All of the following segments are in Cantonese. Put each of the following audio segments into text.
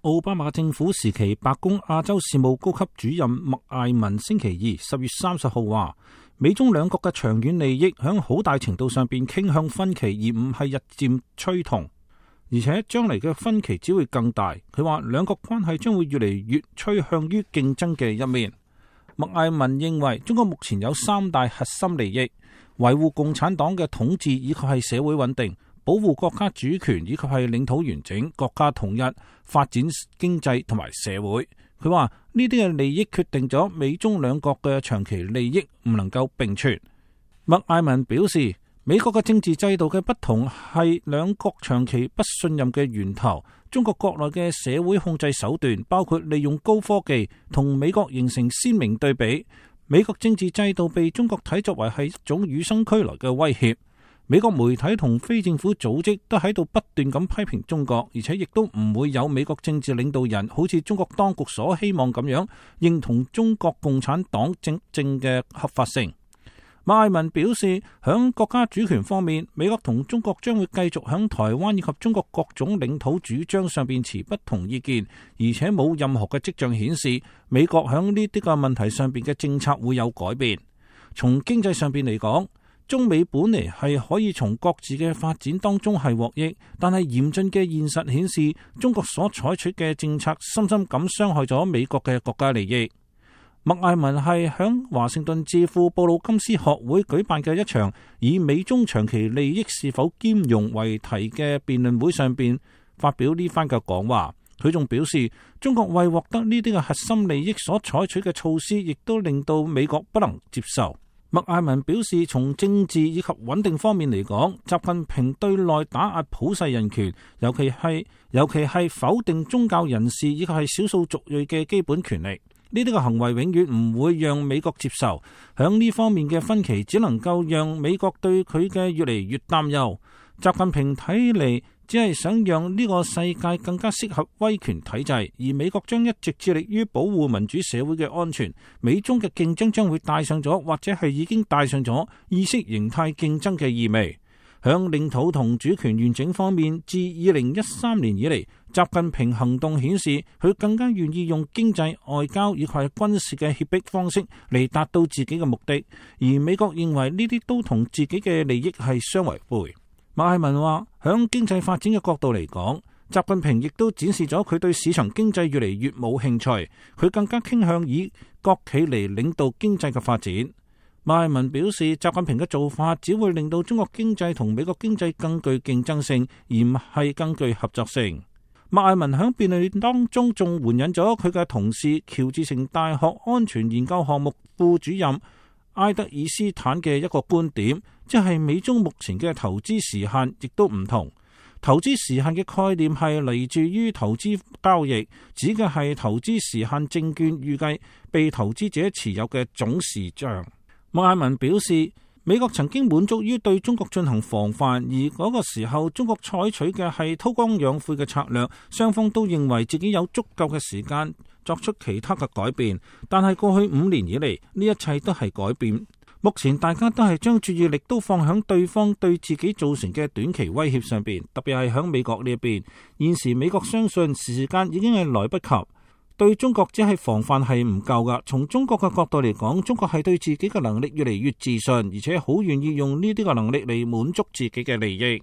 奧巴馬政府時期白宮亞洲事務高級主任麥艾文星期二10月30號話，美中兩國嘅長遠利益響好大程度上邊傾向分歧，而唔係日漸趨同，而且將來嘅分歧只會更大。佢話兩國關係將會越嚟越趨向於競爭嘅一面。麥艾文認為中國目前有三大核心利益：維護共產黨嘅統治，以及係社會穩定；保護國家主權，以及係領土完整、國家統一、發展經濟同埋社會。佢話呢啲嘅利益決定咗美中兩國嘅長期利益唔能夠並存。麥艾文表示，美國嘅政治制度嘅不同係兩國長期不信任嘅源頭。中國國內嘅社會控制手段包括利用高科技，同美國形成鮮明對比。美國政治制度被中國睇作為係一種與生俱來嘅威脅。美國媒體同非政府組織都喺度不斷咁批評中國，而且亦都唔會有美國政治領導人好似中國當局所希望咁樣認同中國共產黨政嘅合法性。麥艾文表示，響國家主權方面，美國同中國將會繼續響台灣以及中國各種領土主張上邊持不同意見，而且冇任何嘅跡象顯示美國響呢啲個問題上邊嘅政策會有改變。從經濟上邊嚟講，中美本嚟係可以從各自嘅發展當中係獲益，但係嚴峻嘅現實顯示，中國所採取嘅政策深深咁傷害咗美國嘅國家利益。麥艾文係響華盛頓智庫布魯金斯學會舉辦嘅一場以美中長期利益是否兼容為題嘅辯論會上邊發表呢番嘅講話。佢仲表示，中國為獲得呢啲嘅核心利益所採取嘅措施，亦都令到美國不能接受。麥艾文表示，從政治以及穩定方面嚟講，習近平對內打壓普世人權，尤其係否定宗教人士以及係少數族裔嘅基本權利。呢啲嘅行為永遠唔會讓美國接受，響呢方面嘅分歧只能夠讓美國對佢嘅越嚟越擔憂。習近平睇嚟只係想讓呢個世界更加適合威權體制，而美國將一直致力於保護民主社會嘅安全。美中嘅競爭將會帶上咗，或者係已經帶上咗意識形態競爭嘅意味。響領土同主權完整方面，自2013年以嚟，習近平行動顯示佢更加願意用經濟、外交以及軍事嘅脅迫方式嚟達到自己嘅目的，而美國認為呢啲都同自己嘅利益係相違背。麥艾文話，響經濟發展嘅角度嚟講，習近平亦都展示咗佢對市場經濟越嚟越冇興趣，佢更加傾向以國企嚟領導經濟嘅發展。麥艾文表示，習近平嘅做法只會令到中國經濟同美國經濟更具競爭性，而唔係更具合作性。麥艾文喺辯論當中仲援引咗佢嘅同事喬治城大學安全研究項目副主任埃德爾斯坦嘅一個觀點，即係美中目前嘅投資時限亦都唔同。投資時限嘅概念係嚟自於投資交易，指嘅係投資時限證券預計被投資者持有嘅總時長。麥艾文表示，美國曾經滿足於對中國進行防範，而嗰個時候中國採取嘅係韜光養晦嘅策略，雙方都認為自己有足夠嘅時間作出其他嘅改變。但係過去5年以嚟，呢一切都係改變。目前大家都係將注意力都放響對方對自己造成嘅短期威脅上邊，特別係響美國呢一邊。現時美國相信時間已經係來不及。對中國只係防範係唔夠噶。從中國嘅角度嚟講，中國係對自己嘅能力越嚟越自信，而且好願意用呢啲嘅能力嚟滿足自己嘅利益。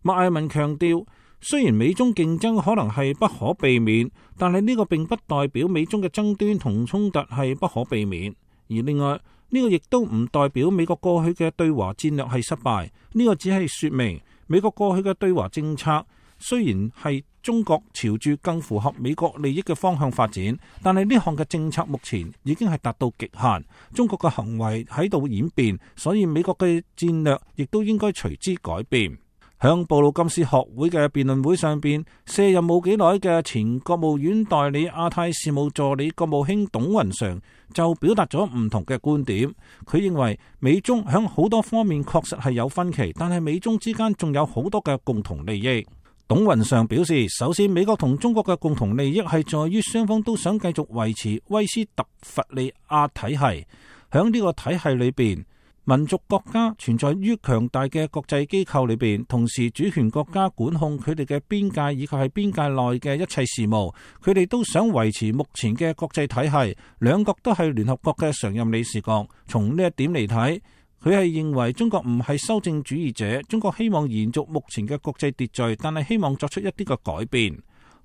麥艾文強調，雖然美中競爭可能係不可避免，但係呢個並不代表美中嘅爭端同衝突係不可避免。而另外呢個亦都唔代表美國過去嘅對華戰略係失敗。呢個只係說明美國過去嘅對華政策雖然係中國朝住更符合美國利益嘅方向發展，但係呢項嘅政策目前已經係達到極限，中國嘅行為喺度演變，所以美國嘅戰略亦都應該隨之改變。響布魯金斯學會嘅辯論會上邊，卸任冇幾耐嘅前國務院代理亞太事務助理國務卿董雲常就表達咗唔同嘅觀點。佢認為美中響好多方面確實係有分歧，但係美中之間仲有好多嘅共同利益。董雲常表示，首先美國同中國嘅共同利益係在於雙方都想繼續維持威斯特伐利亞體系。響呢個體系裏邊，民族國家存在於強大嘅國際機構裏邊，同時主權國家管控佢哋嘅邊界以及係邊界內嘅一切事務。佢哋都想維持目前嘅國際體系。兩國都係聯合國嘅常任理事國。從呢一點嚟睇，佢係認為中國唔係修正主義者，中國希望延續目前嘅國際秩序，但係希望作出一啲嘅改變。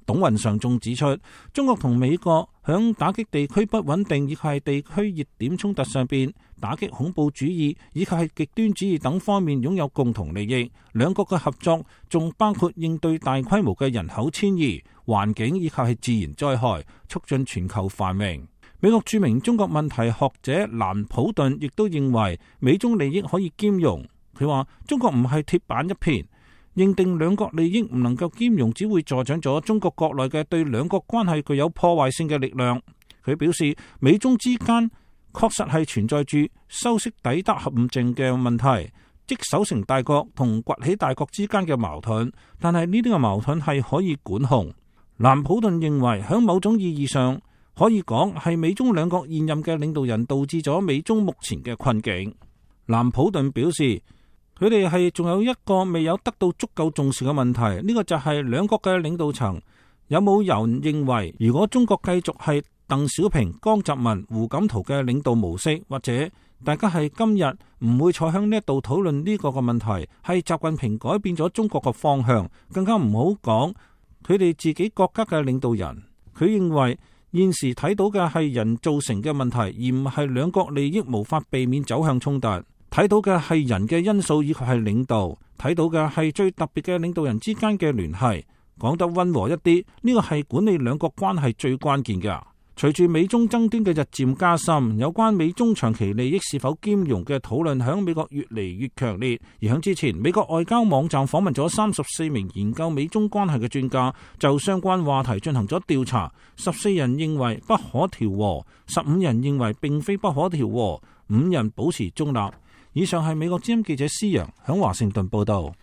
董雲常仲指出，中國同美國響打擊地區不穩定以及係地區熱點衝突上邊，打擊恐怖主義以及係極端主義等方面擁有共同利益。兩國嘅合作仲包括應對大規模嘅人口遷移、環境以及係自然災害，促進全球繁榮。美國著名中國問題學者蘭普頓亦都認為美中利益可以兼容。佢話中國唔係鐵板一片，認定兩國利益唔能夠兼容，只會助長咗中國國內嘅對兩國關係具有破壞性嘅力量。佢表示，美中之間確實係存在住修昔底德陷阱嘅問題，即守成大國同崛起大國之間嘅矛盾。但係呢啲嘅矛盾係可以管控。蘭普頓認為，喺某種意義上可以講係美中兩國現任嘅領導人導致咗美中目前嘅困境。蘭普頓表示，佢哋係仲有一個未有得到足夠重視嘅問題，呢個就係兩國嘅領導層有冇人認為，如果中國繼續係鄧小平、江澤民、胡錦濤嘅領導模式，或者大家係今日唔會坐響呢一度討論呢個嘅問題，係習近平改變咗中國嘅方向，更加唔好講佢哋自己國家嘅領導人。佢認為現時睇到嘅係人造成嘅問題，而唔係兩國利益無法避免走向衝突。睇到嘅係人嘅因素以及係領導，睇到嘅係最特別嘅領導人之間嘅聯繫。講得溫和一啲，呢個係管理兩國關係最關鍵嘅。隨住美中爭端嘅日漸加深，有關美中長期利益是否兼容嘅討論響美國越嚟越強烈。而響之前，美國外交網站訪問咗34名研究美中關係嘅專家，就相關話題進行咗調查。14人認為不可調和，15人認為並非不可調和，5人保持中立。以上係美國之音記者施洋響華盛頓報道。